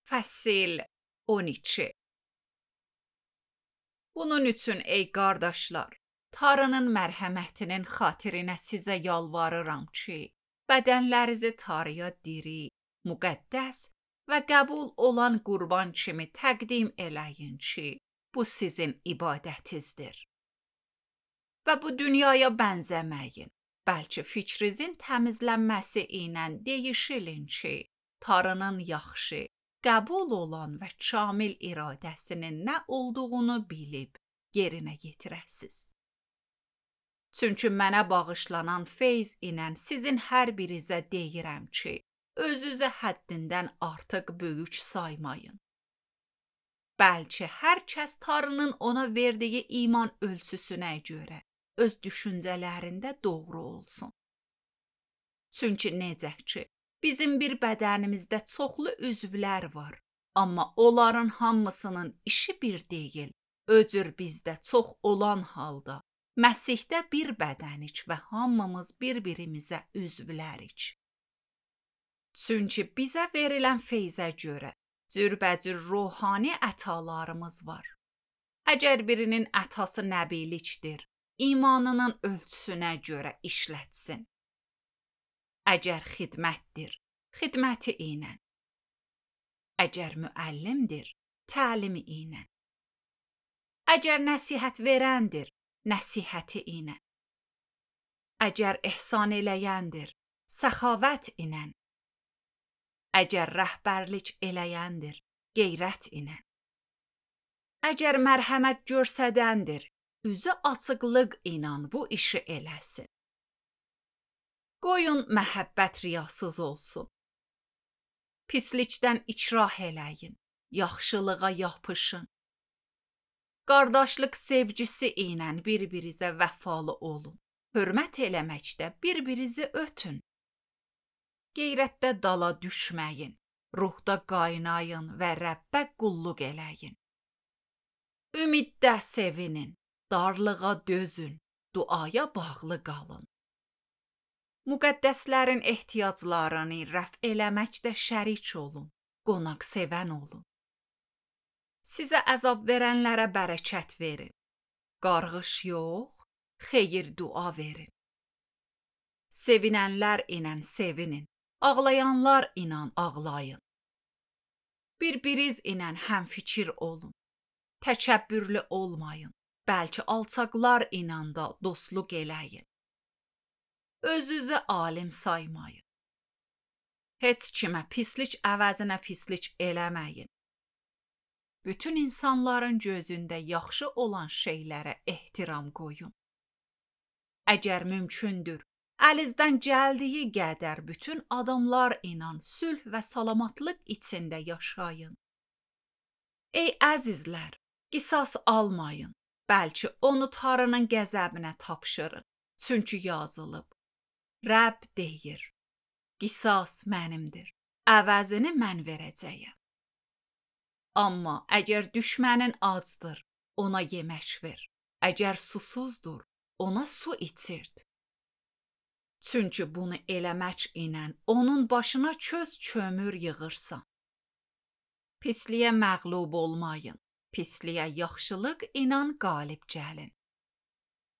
Fəsil 12. Bunun üçün ey qardaşlar, Tanrının mərhəmətinin xatirinə sizə yalvarıram ki, bədənlərinizi Tanrıya diri, müqəddəs və qəbul olan qurban kimi təqdim eləyin ki, bu sizin ibadətinizdir. Və bu dünyaya bənzəməyin, bəlkə fikrinizin təmizlənməsi ilə dəyişilin ki, Tanrının yaxşı, qəbul olan və kamil iradəsinin nə olduğunu bilib yerinə yetirəsiz. Çünki mənə bağışlanan feyz ilə sizin hər birinizə deyirəm ki, özünüzü həddindən artıq böyük saymayın. Bəlkə hər kəs Tanrının ona verdiyi iman ölçüsünə görə öz düşüncələrində doğru olsun. Çünki necə ki, bizim bir bədənimizdə çoxlu üzvlər var, amma onların hamısının işi bir deyil. Öcür bizdə çox olan halda, Məsihdə bir bədənik və hamımız bir-birimizə üzvlərik. Çünki bizə verilən feyzə görə cürbəcür ruhani ətalarımız var. Əgər birinin ətası nəbilikdir, imanının ölçüsünə görə işlətsin. Əgər xidmətdir, xidməti ilə. Əgər müəllimdir, təlimi ilə. Əgər nəsihət verəndir, nəsihəti ilə. Əgər ehsan eləyəndir, səxavət ilə. Əgər rəhbərlik eləyəndir, qeyrət ilə. Əgər mərhəmət görsədəndir, üzü açıqlıq ilə bu işi eləsin. Qoyun məhəbbət riyasız olsun. Pislikdən ikrah eləyin, yaxşılığa yapışın. Qardaşlıq sevgisi ilə bir-birinizə vəfalı olun. Hörmət eləməkdə bir-birinizi ötün. Qeyrətdə dala düşməyin, ruhda qaynayın və Rəbbə qulluq eləyin. Ümiddə sevinin, darlığa dözün, duaya bağlı qalın. Müqəddəslərin ehtiyaclarını rəf eləməkdə şərik olun, qonaq sevən olun. Sizə əzab verənlərə bərəkət verin. Qarğış yox, xeyir dua verin. Sevinənlər ilə sevinin, ağlayanlar ilə ağlayın. Bir-biriniz ilə həmfikir olun. Təkəbbürlü olmayın, bəlkə alçaqlar ilə də dostluq eləyin. Özünüzü alim saymayın. Heç kimə pislik əvəzinə pislik eləməyin. Bütün insanların gözündə yaxşı olan şeylərə ehtiram qoyun. Əgər mümkündür, əlinizdən gəldiyi qədər bütün adamlar ilə sülh və salamatlıq içində yaşayın. Ey əzizlər, qisas almayın, bəlkə onu Tanrının qəzəbinə tapşırın. Çünki yazılıb. Rəbb deyir, qisas mənimdir, əvəzini mən verəcəyəm. Amma əgər düşmənin acdır, ona yemək ver. Əgər susuzdur, ona su içirt. Çünki bunu eləmək ilə onun başına köz kömür yığırsan. Pisliyə məğlub olmayın, pisliyə yaxşılıq ilə qalib gəlin.